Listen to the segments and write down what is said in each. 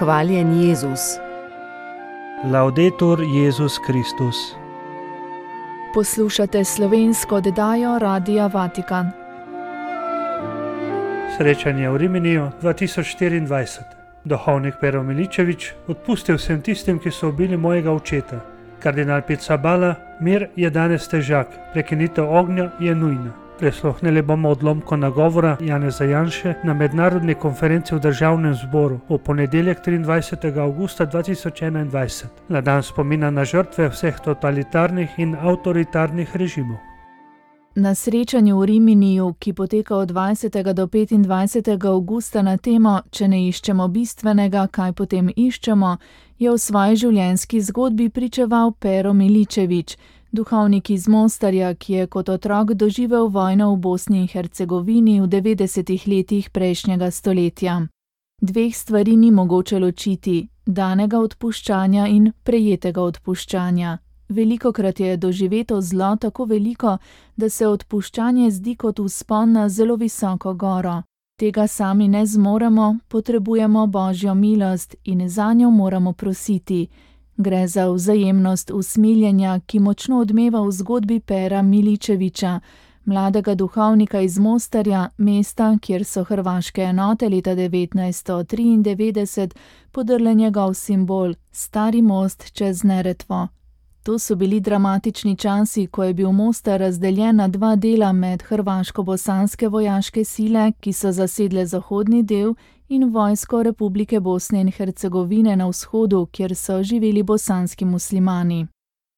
Hvaljen Jezus. Laudetur Jezus Kristus. Poslušate slovensko oddajo Radia Vatikan. Srečanje v Riminiju 2024. Duhovnik Pero Miličević: odpustil sem tistim, ki so ubili mojega očeta. Kardinal Pizzaballa: mir je danes težak, prekinitev ognja je nujna. Prisluhnili bomo odlomku nagovora Janeza Janše na mednarodni konferenci v Državnem zboru v ponedeljek 23. avgusta 2021, na dan spomina na žrtve vseh totalitarnih in avtoritarnih režimov. Na srečanju v Riminiju, ki poteka od 20. do 25. avgusta na temo Če ne iščemo bistvenega, kaj potem iščemo, je v svoji življenjski zgodbi pričeval Pero Miličević, duhovnik iz Mostarja, ki je kot otrok doživel vojno v Bosni in Hercegovini v 90. letih prejšnjega stoletja. Dveh stvari ni mogoče ločiti: danega odpuščanja in prejetega odpuščanja. Velikokrat je doživeto zlo tako veliko, da se odpuščanje zdi kot vzpon na zelo visoko goro. Tega sami ne zmoremo, potrebujemo Božjo milost in zanjo moramo prositi. Gre za vzajemnost usmiljenja, ki močno odmeva v zgodbi Pera Miličevića, mladega duhovnika iz Mostarja, mesta, kjer so hrvaške enote leta 1993 podrle njegov simbol, stari most čez Neretvo. To so bili dramatični časi, ko je bil Mostar razdeljen na dva dela med hrvaško-bosanske vojaške sile, ki so zasedle zahodni del, in vojsko Republike Bosne in Hercegovine na vzhodu, kjer so živeli bosanski muslimani.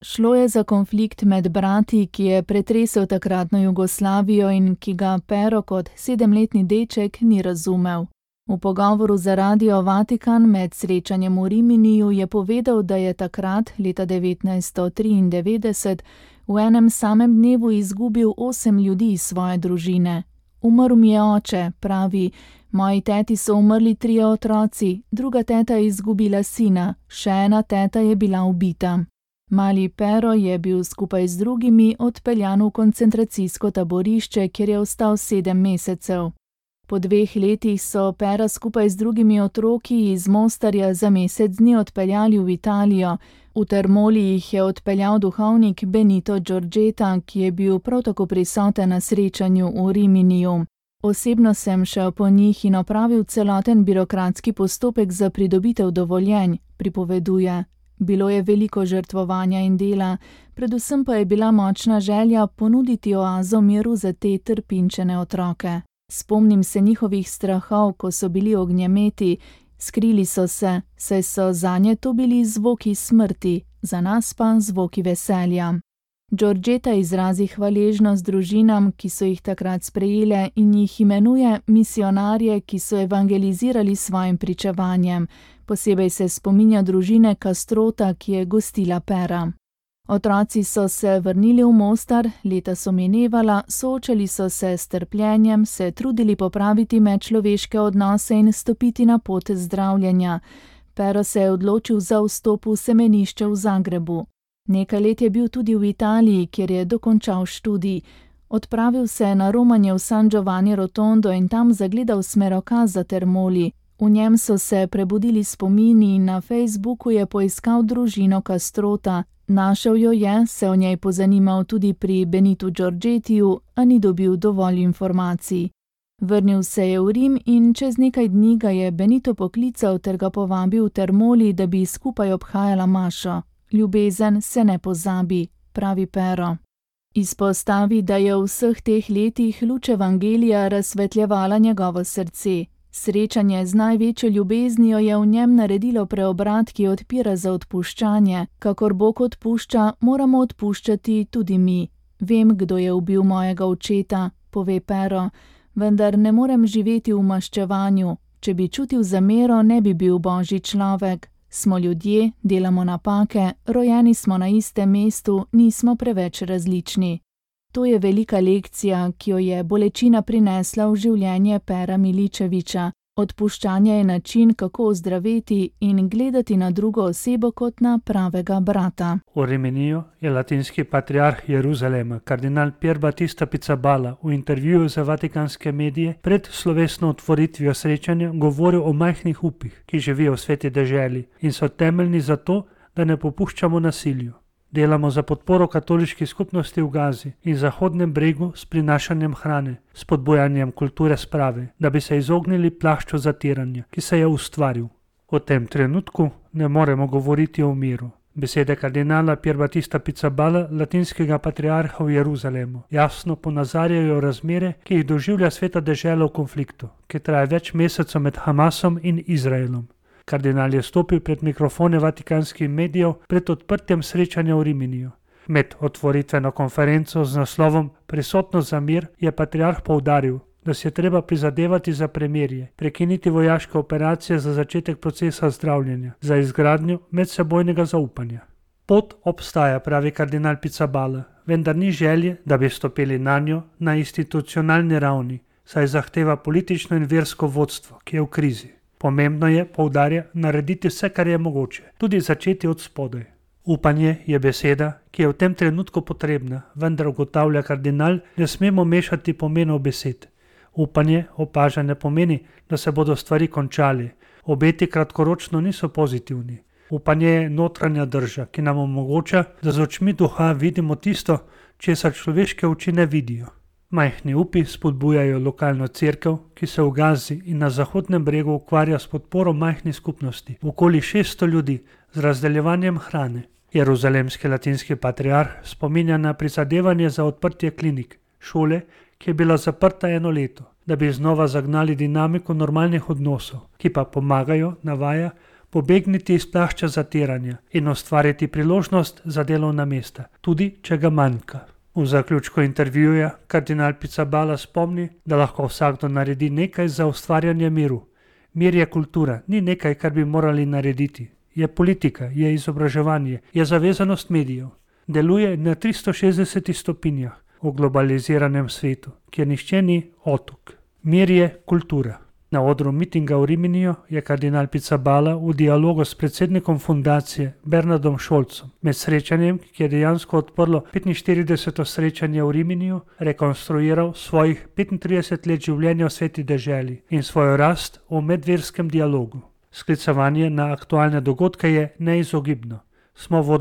Šlo je za konflikt med brati, ki je pretresel takratno Jugoslavijo in ki ga Pero kot 7-letni deček ni razumel. V pogovoru za Radio Vatikan med srečanjem v Riminiju je povedal, da je takrat, leta 1993, v enem samem dnevu izgubil 8 ljudi iz svoje družine. Umrl mi je oče, pravi, moji teti so umrli 3 otroci, druga teta je izgubila sina, še ena teta je bila ubita. Mali Pero je bil skupaj z drugimi odpeljan v koncentracijsko taborišče, kjer je ostal 7 mesecev. Po 2 letih so Pera skupaj z drugimi otroki iz Mostarja za mesec dni odpeljali v Italijo. V Termoli jih je odpeljal duhovnik Benito Giorgetta, ki je bil prav tako prisoten na srečanju v Riminiju. Osebno sem šel po njih in opravil celoten birokratski postopek za pridobitev dovoljenj, pripoveduje. Bilo je veliko žrtvovanja in dela, predvsem pa je bila močna želja ponuditi oazo miru za te trpinčene otroke. Spomnim se njihovih strahov, ko so bili ognjemeti, skrili so se, saj so zanje to bili zvoki smrti, za nas pa zvoki veselja. Giorgetta izrazi hvaležnost družinam, ki so jih takrat sprejele, in jih imenuje misionarje, ki so evangelizirali s svojim pričevanjem. Posebej se spominja družine Castrota, ki je gostila Pera. Otroci so se vrnili v Mostar, leta so minevala, soočali so se s trpljenjem, se trudili popraviti medčloveške odnose in stopiti na pot zdravljenja. Pero se je odločil za vstop v semenišče v Zagrebu. Nekaj let je bil tudi v Italiji, kjer je dokončal študij. Odpravil se je na romanje v San Giovanni Rotondo in tam zagledal smerokaz za Termoli. V njem so se prebudili spomini in na Facebooku je poiskal družino Castrota. Našel jo je, se o njej pozanimal tudi pri Benitu Giorgettiju, a ni dobil dovolj informacij. Vrnil se je v Rim in čez nekaj dni ga je Benito poklical ter ga povabil v Termoli, da bi skupaj obhajala mašo. Ljubezen se ne pozabi, pravi Pero. Izpostavi, da je v vseh teh letih luč evangelija razsvetljevala njegovo srce. Srečanje z največjo ljubeznijo je v njem naredilo preobrat, ki odpira za odpuščanje. Kakor Bog odpušča, moramo odpuščati tudi mi. Vem, kdo je ubil mojega očeta, pove Pero, vendar ne morem živeti v maščevanju. Če bi čutil zamero, ne bi bil Božji človek. Smo ljudje, delamo napake, rojeni smo na istem mestu, nismo preveč različni. To je velika lekcija, ki jo je bolečina prinesla v življenje Pera Miličevića. Odpuščanje je način, kako ozdraveti in gledati na drugo osebo kot na pravega brata. V Riminiju je latinski patriarh Jeruzalema, kardinal Pier Battista Pizzaballa, v intervjuju za vatikanske medije pred slovesno otvoritvijo srečanja govoril o majhnih upih, ki živijo v sveti deželi in so temeljni za to, da ne popuščamo nasilju. Delamo za podporo katoliški skupnosti v Gazi in Zahodnem bregu s prinašanjem hrane, spodbujanjem kulture sprave, da bi se izognili plašču zatiranja, ki se je ustvaril. V tem trenutku ne moremo govoriti o miru. Besede kardinala Pier Battista Pizzaballa, latinskega patriarha v Jeruzalemu, jasno ponazarjajo razmere, ki jih doživlja sveta dežela v konfliktu, ki traja več mesecev med Hamasom in Izraelom. Kardinal je stopil pred mikrofone vatikanskih medijev pred odprtjem srečanja v Riminiju. Med otvoritveno konferenco z naslovom Prisotnost za mir je patriarh poudaril, da se je treba prizadevati za premirje, prekiniti vojaške operacije za začetek procesa zdravljenja, za izgradnjo medsebojnega zaupanja. Pot obstaja, pravi kardinal Pizzaballa, vendar ni želje, da bi stopili nanjo na institucionalni ravni, saj zahteva politično in versko vodstvo, ki je v krizi. Pomembno je, poudarja, narediti vse, kar je mogoče, tudi začeti od spodaj. Upanje je beseda, ki je v tem trenutku potrebna, vendar ugotavlja kardinal, ne smemo mešati pomenov besed. Upanje opaža ne pomeni, da se bodo stvari končali, obeti kratkoročno niso pozitivni. Upanje je notranja drža, ki nam omogoča, da z očmi duha vidimo tisto, česar človeške oči ne vidijo. Majhni upi spodbujajo lokalno cerkev, ki se v Gazi in na Zahodnem bregu ukvarja s podporo majhnih skupnosti, okoli 600 ljudi, z razdeljevanjem hrane. Jeruzalemski latinski patriarh spominja na prizadevanje za odprtje klinik, šole, ki je bila zaprta 1 leto, da bi znova zagnali dinamiko normalnih odnosov, ki pa pomagajo, navaja, pobegniti iz plašča zatiranja in ustvariti priložnost za delovna mesta, tudi če ga manjka. V zaključku intervjuja kardinal Pizzaballa spomni, da lahko vsakdo naredi nekaj za ustvarjanje miru. Mir je kultura, ni nekaj, kar bi morali narediti. Je politika, je izobraževanje, je zavezanost medijev. Deluje na 360 stopinjah v globaliziranem svetu, kjer nihče ni otok. Mir je kultura. Na odru mitinga v Riminiju je kardinal Pizzaballa v dialogu s predsednikom fundacije Bernardom Scholzom med srečanjem, ki je dejansko odprlo 45. srečanje v Riminiju, rekonstruiral svojih 35 let življenja v sveti deželi in svojo rast v medverskem dialogu. Sklicevanje na aktualne dogodke je neizogibno. Smo v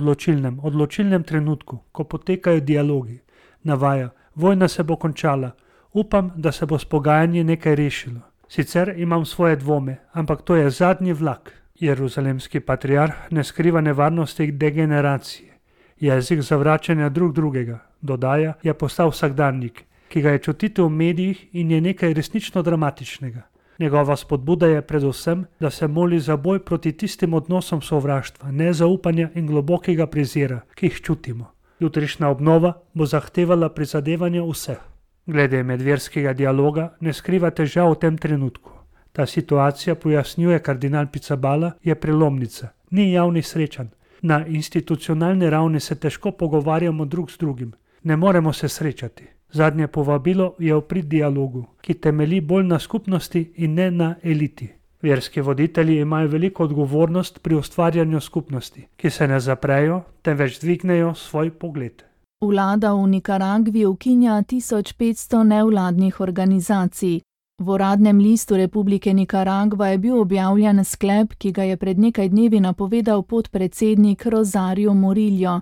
odločilnem trenutku, ko potekajo dialogi. Navaja, vojna se bo končala. Upam, da se bo s pogajanji nekaj rešilo. Sicer imam svoje dvome, ampak to je zadnji vlak. Jeruzalemski patriarh ne skriva nevarnosti degeneracije. Jezik zavračanja drugega, dodaja, je postal vsakdanjik, ki ga je čutiti v medijih in je nekaj resnično dramatičnega. Njegova spodbuda je predvsem, da se moli za boj proti tistim odnosom sovraštva, nezaupanja in globokega prezira, ki jih čutimo. Jutrišnja obnova bo zahtevala prizadevanje vseh. Glede medverskega dialoga ne skriva težav v tem trenutku. Ta situacija, pojasnjuje kardinal Pizzaballa, je prelomnica, ni javnih srečanj. Na institucionalni ravni se težko pogovarjamo drug z drugim. Ne moremo se srečati. Zadnje povabilo je v prid dialogu, ki temelji bolj na skupnosti in ne na eliti. Verski voditelji imajo veliko odgovornost pri ustvarjanju skupnosti, ki se ne zaprejo, temveč dvignejo svoj pogled. Vlada v Nikaragvi ukinja 1500 nevladnih organizacij. V uradnem listu Republike Nikaragva je bil objavljen sklep, ki ga je pred nekaj dnevi napovedal podpredsednik Rosario Murillo.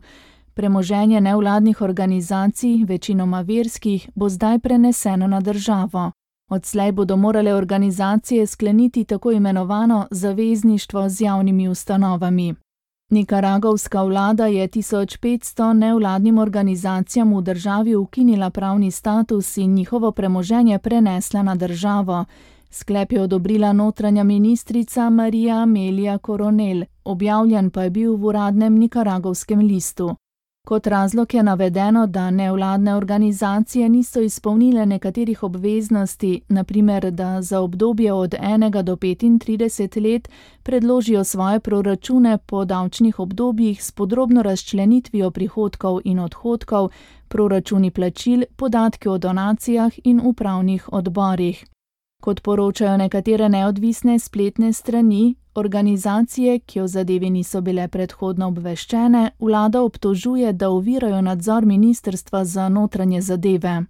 Premoženje nevladnih organizacij, večinoma verskih, bo zdaj preneseno na državo. Odslej bodo morale organizacije skleniti tako imenovano zavezništvo z javnimi ustanovami. Nikaragovska vlada je 1500 nevladnim organizacijam v državi ukinila pravni status in njihovo premoženje prenesla na državo. Sklep je odobrila notranja ministrica María Amelia Coronel, objavljen pa je bil v uradnem nikaragovskem listu. Kot razlog je navedeno, da nevladne organizacije niso izpolnile nekaterih obveznosti, na primer, da za obdobje od 1 do 35 let predložijo svoje proračune po davčnih obdobjih s podrobno razčlenitvijo prihodkov in odhodkov, proračuni plačil, podatki o donacijah in upravnih odborih. Kot poročajo nekatere neodvisne spletne strani, organizacije, ki o zadevi niso bile predhodno obveščene, vlada obtožuje, da ovirajo nadzor Ministrstva za notranje zadeve.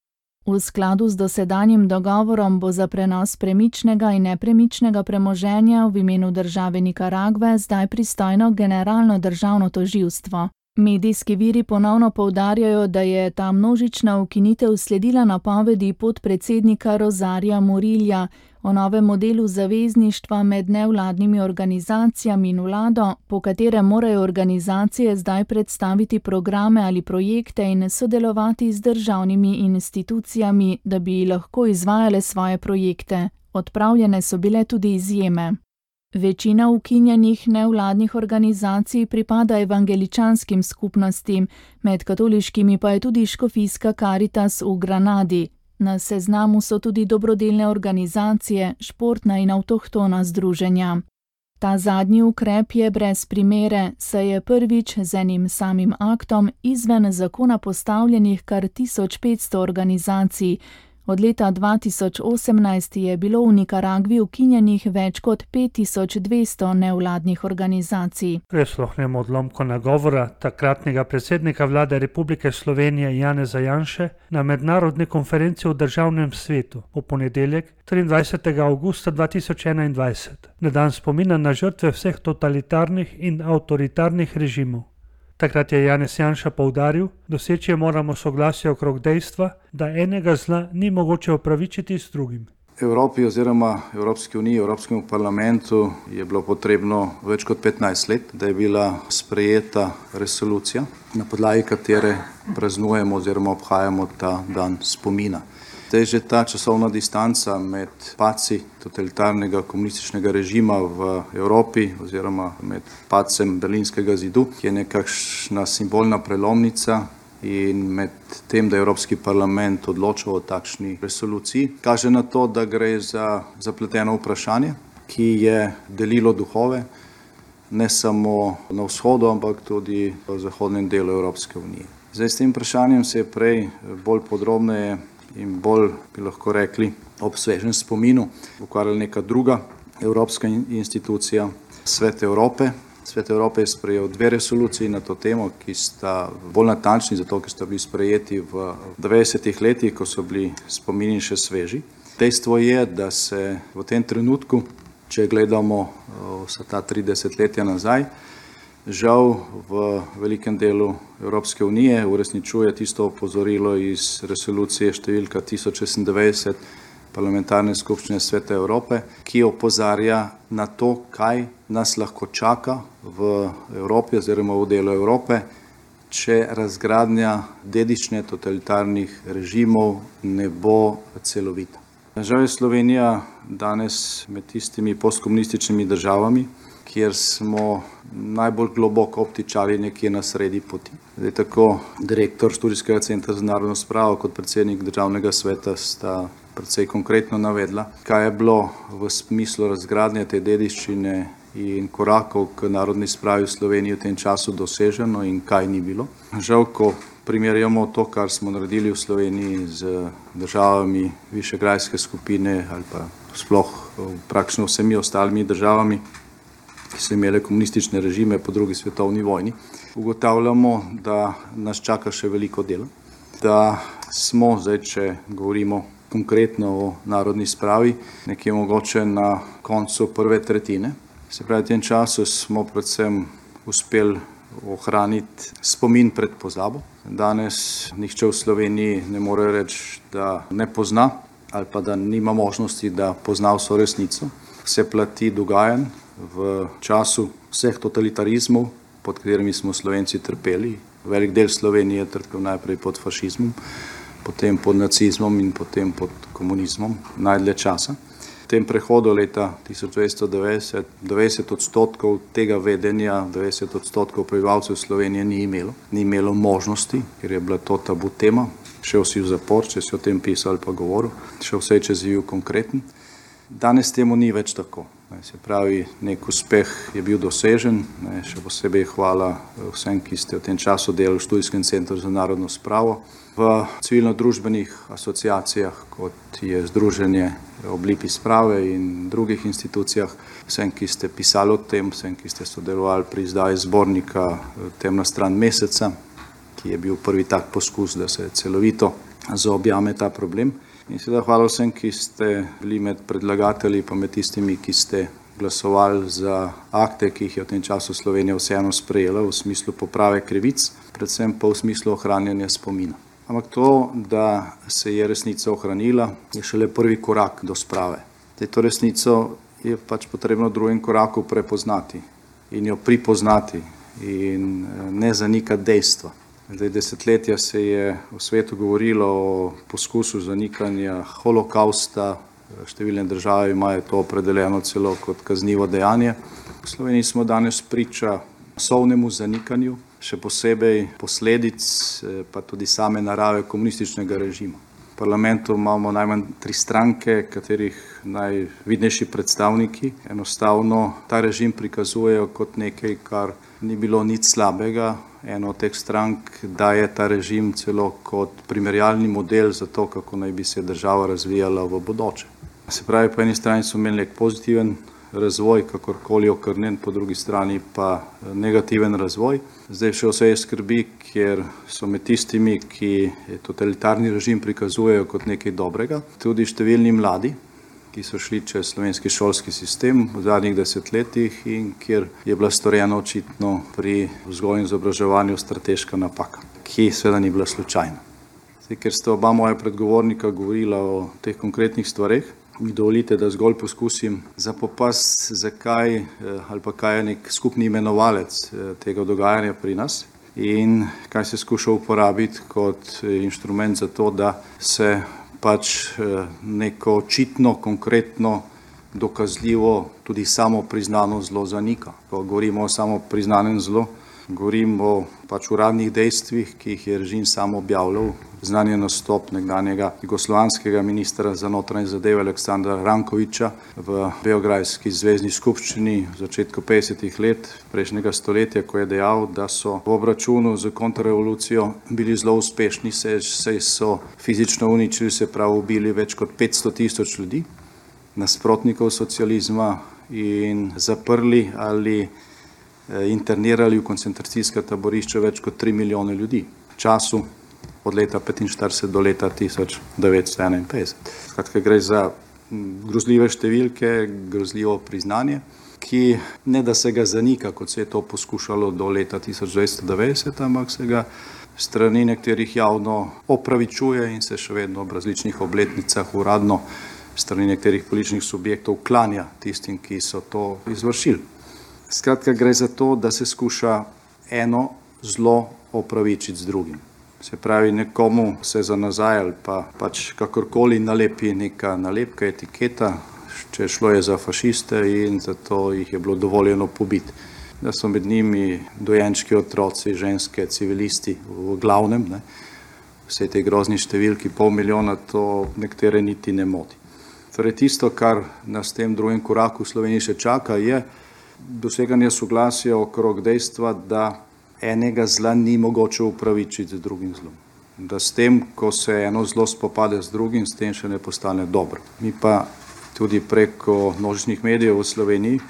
V skladu z dosedanjim dogovorom bo za prenos premičnega in nepremičnega premoženja v imenu države Nikaragve zdaj pristojno Generalno državno tožilstvo. Medijski viri ponovno poudarjajo, da je ta množična ukinitev sledila napovedi podpredsednika Rosarja Murillja o novem modelu zavezništva med nevladnimi organizacijami in vlado, po katerem morajo organizacije zdaj predstaviti programe ali projekte in sodelovati z državnimi institucijami, da bi lahko izvajale svoje projekte. Odpravljene so bile tudi izjeme. Večina ukinjenih nevladnih organizacij pripada evangeličanskim skupnostim, med katoliškimi pa je tudi škofijska Karitas v Granadi. Na seznamu so tudi dobrodelne organizacije, športna in avtohtona združenja. Ta zadnji ukrep je brez primere, saj je prvič z enim samim aktom izven zakona postavljenih kar 1500 organizacij. Od leta 2018 je bilo v Nikaragvi ukinjenih več kot 5200 nevladnih organizacij. Prisluhnemo odlomku nagovora takratnega predsednika vlade Republike Slovenije Janeza Janše na mednarodni konferenci v Državnem svetu v ponedeljek 23. avgusta 2021, na dan spomina na žrtve vseh totalitarnih in avtoritarnih režimov. Takrat je Janez Janša poudaril, doseči moramo soglasje okrog dejstva, da enega zla ni mogoče opravičiti s drugim. Evropi oziroma Evropski uniji, Evropskemu parlamentu je bilo potrebno več kot 15 let, da je bila sprejeta resolucija, na podlagi katere praznujemo oziroma obhajamo ta dan spomina. Zdaj že ta časovna distanca med padci totalitarnega komunističnega režima v Evropi oziroma med padcem Berlinskega zidu, ki je nekakšna simbolna prelomnica, in med tem, da je Evropski parlament odločal o takšni resoluciji, kaže na to, da gre za zapleteno vprašanje, ki je delilo duhove ne samo na vzhodu, ampak tudi v zahodnem delu Evropske unije. Zdaj s tem vprašanjem se je prej bolj podrobneje in bolj, bi lahko rekli, ob svežem spominu ukvarjala neka druga evropska institucija, Svet Evrope. Svet Evrope je sprejel 2 resoluciji na to temo, ki sta bolj natančni, zato ker sta bili sprejeti v 90-ih letih, ko so bili spomini še sveži. Dejstvo je, da se v tem trenutku, če gledamo vsa ta 30 letja nazaj, žal v velikem delu Evropske unije uresničuje tisto opozorilo iz resolucije številka 1096 Parlamentarne skupščine Sveta Evrope, ki opozarja na to, kaj nas lahko čaka v Evropi oziroma v delu Evrope, če razgradnja dediščine totalitarnih režimov ne bo celovita. Žal je Slovenija danes med tistimi postkomunističnimi državami, kjer smo najbolj globoko obtičali nekje na sredi poti. Zdaj tako direktor Študijskega centra za narodno spravo kot predsednik Državnega sveta sta precej konkretno navedla, kaj je bilo v smislu razgradnje te dediščine in korakov k narodni spravi v Sloveniji v tem času doseženo in kaj ni bilo. Žal, ko primerjamo to, kar smo naredili v Sloveniji z državami Višegrajske skupine ali pa sploh praktično vsemi ostalimi državami, ki so imele komunistične režime po drugi svetovni vojni, ugotavljamo, da nas čaka še veliko dela, da smo zdaj, če govorimo konkretno o narodni spravi, nekje mogoče na koncu prve tretjine. Se pravi, v tem času smo predvsem uspeli ohraniti spomin pred pozabo. Danes nihče v Sloveniji ne more reči, da ne pozna ali pa da nima možnosti, da pozna vso resnico. Vse plati dogajanj v času vseh totalitarizmov, pod katerimi smo Slovenci trpeli. Velik del Slovenije je trpel najprej pod fašizmom, potem pod nacizmom in potem pod komunizmom najdlje časa. V tem prehodu leta 1990 90% tega vedenja, 90% prebivalcev Slovenije ni imelo možnosti, ker je bila to tabu tema. Šel si v zapor, če si o tem pisal ali pa govoril, šel vse čez bil konkreten. Danes temu ni več tako. Se pravi, nek uspeh je bil dosežen, še posebej hvala vsem, ki ste v tem času delali v Študijskem centru za narodno spravo, v civilno-družbenih asociacijah, kot je Združenje Oblipi sprave in drugih institucijah, vsem, ki ste pisali o tem, vsem, ki ste sodelovali pri izdaji zbornika Temna stran meseca, ki je bil prvi tak poskus, da se celovito zaobjame ta problem. In seveda hvala vsem, ki ste bili med predlagatelji, pa med tistimi, ki ste glasovali za akte, ki jih je v tem času Slovenija vseeno sprejela v smislu poprave krivic, predvsem pa v smislu ohranjanja spomina. Ampak to, da se je resnica ohranila, je šele prvi korak do sprave. To resnico je pač potrebno v drugem koraku prepoznati in jo pripoznati in ne zanikati dejstva. Desetletja se je v svetu govorilo o poskusu zanikanja holokausta, številne države imajo to opredeljeno celo kot kaznivo dejanje. V Sloveniji smo danes priča masovnemu zanikanju, še posebej posledic, pa tudi same narave komunističnega režima. V parlamentu imamo najmanj 3 stranke, katerih najvidnejši predstavniki enostavno ta režim prikazujejo kot nekaj, kar ni bilo nič slabega. Eno od teh strank daje ta režim celo kot primerjalni model za to, kako naj bi se država razvijala v bodoče. Se pravi, po eni strani so imeli nek pozitiven razvoj, kakorkoli okrnjen, po drugi strani pa negativen razvoj. Zdaj še vse je skrbi, ker so med tistimi, ki totalitarni režim prikazujejo kot nekaj dobrega, tudi številni mladi, ki so šli čez slovenski šolski sistem v zadnjih desetletjih in kjer je bila storjena očitno pri vzgoji in izobraževanju strateška napaka, ki seveda ni bila slučajna. Ker ste oba moja predgovornika govorila o teh konkretnih stvareh, mi dovolite, da zgolj poskusim zapopasti, zakaj ali pa kaj je nek skupni imenovalec tega dogajanja pri nas in kaj se skuša uporabiti kot inštrument za to, da se pač neko očitno, konkretno, dokazljivo, tudi samo priznano zlo zanika. Ko govorimo o samo priznanem zlu, govorimo o pač uradnih dejstvih, ki jih je režim sam objavljal. Znan je nastop nekdanjega jugoslovanskega ministra za notranje zadeve Aleksandra Rankovića v beograjski zvezni skupščini v začetku 50. let prejšnjega stoletja, ko je dejal, da so v obračunu z kontrarevolucijo bili zelo uspešni, saj so fizično uničili, se pravi ubili več kot 500.000 ljudi, nasprotnikov socializma in zaprli ali internirali v koncentracijska taborišča več kot 3 milijone ljudi v času od leta 1945 do leta 1951. Skratka, gre za grozljive številke, grozljivo priznanje, ki ne da se ga zanika, kot se je to poskušalo do leta 1990, ampak se ga strani nekaterih javno opravičuje in se še vedno ob različnih obletnicah uradno strani nekaterih političnih subjektov klanja tistim, ki so to izvršili. Skratka, gre za to, da se skuša eno zlo opravičiti z drugim. Se pravi, nekomu se za nazaj ali pa pač kakorkoli nalepi neka nalepka, etiketa, če šlo je za fašiste in zato jih je bilo dovoljeno pobiti. Da so med njimi dojenčki, otroci, ženske, civilisti v glavnem, vse te grozni številki, 500 000, to nekatere niti ne moti. Torej tisto, kar nas v tem drugem koraku v Sloveniji še čaka, je doseganje soglasja okrog dejstva, da enega zla ni mogoče upravičiti z drugim zlom. Da s tem, ko se eno zlo spopade z drugim, s tem še ne postane dobro. Mi pa tudi preko množičnih medijev v Sloveniji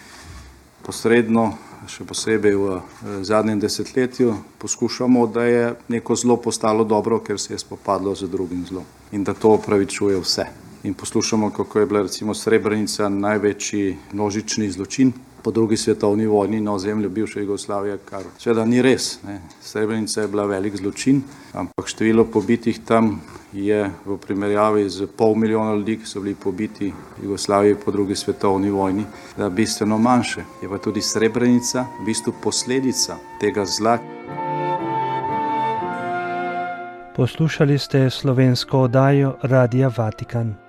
posredno, še posebej v zadnjem desetletju, poskušamo, da je neko zlo postalo dobro, ker se je spopadlo z drugim zlom in da to opravičuje vse. In poslušamo, kako je bila recimo Srebrenica največji množični zločin po drugi svetovni vojni na ozemlju bivše Jugoslavije, kar seveda ni res. Srebrenica je bila velik zločin, ampak število pobitih tam je v primerjavi z 500 000 ljudi, ki so bili pobiti v Jugoslaviji po drugi svetovni vojni, da bistveno manjše. Je pa tudi Srebrenica v bistvu posledica tega zla. Poslušali ste slovensko oddajo Radia Vatikan.